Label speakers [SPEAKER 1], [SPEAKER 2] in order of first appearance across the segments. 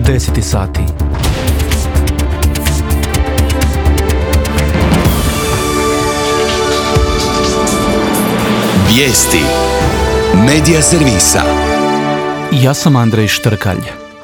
[SPEAKER 1] 10 sati.
[SPEAKER 2] Vijesti Medija servisa.
[SPEAKER 1] Ja sam Andrej Štrkalj.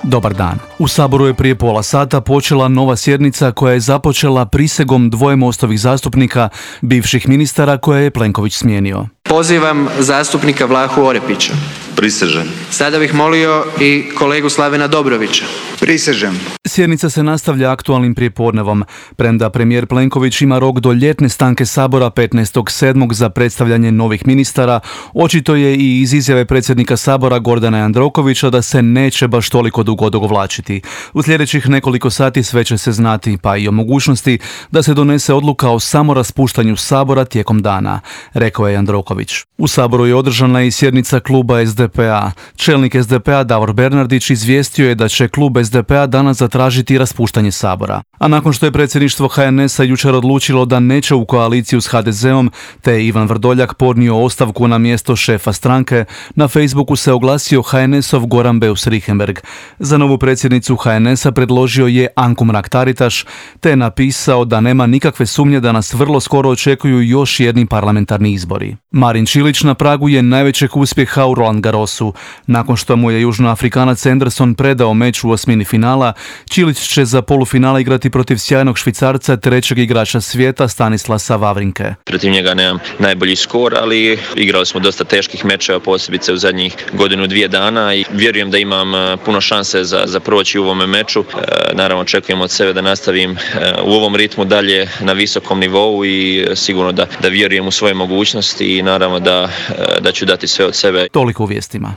[SPEAKER 1] Dobar dan. U Saboru je prije pola sata počela nova sjednica koja je započela prisegom dvoje Mostovih zastupnika, bivših ministara koje je Plenković smijenio.
[SPEAKER 3] Pozivam zastupnika Vlahu Orepića.
[SPEAKER 4] Prisežem.
[SPEAKER 3] Sada bih molio i kolegu Slavena Dobrovića.
[SPEAKER 4] Prisežem.
[SPEAKER 1] Sjednica se nastavlja aktualnim prijepodnevom. Premda premijer Plenković ima rok do ljetne stanke Sabora 15.7. za predstavljanje novih ministara, očito je i iz izjave predsjednika Sabora Gordana Jandrokovića da se neće baš toliko dugo odugovlačiti. U sljedećih nekoliko sati sve će se znati, pa i o mogućnosti da se donese odluka o samoraspuštanju Sabora tijekom dana, rekao je Jandroković. U Saboru je održana i sjednica kluba SDP-a. Čelnik SDP-a Davor Bernardić izvijestio je da će klub SDP-a danas zatražiti raspuštanje Sabora. A nakon što je predsjedništvo HNS-a jučer odlučilo da neće u koaliciju s HDZ-om, te je Ivan Vrdoljak podnio ostavku na mjesto šefa stranke, na Facebooku se oglasio HNS-ov Goran Beus Richembergh. Za novu predsjednicu HNS-a predložio je Anku Mrak-Taritaš, te je napisao da nema nikakve sumnje da nas vrlo skoro očekuju još jedni parlamentarni izbori. Marin Čilić na pragu je najvećeg uspjeha u Roland Garrosu. Nakon što mu je Južnoafrikanac Anderson predao meč u osmini finala, Čilić će za polufinale igrati protiv sjajnog Švicarca, trećeg igrača svijeta Stanislasa Wawrinke.
[SPEAKER 5] Protiv njega nemam najbolji skor, ali igrali smo dosta teških mečeva, posebice u zadnjih godinu, dvije dana i vjerujem da imam puno šanse za proći u ovome meču. Naravno očekujem od sebe da nastavim u ovom ritmu dalje na visokom nivou i sigurno da vjerujem u svoje mogućnosti i naravno da ću dati sve od sebe.
[SPEAKER 1] Toliko u vijestima.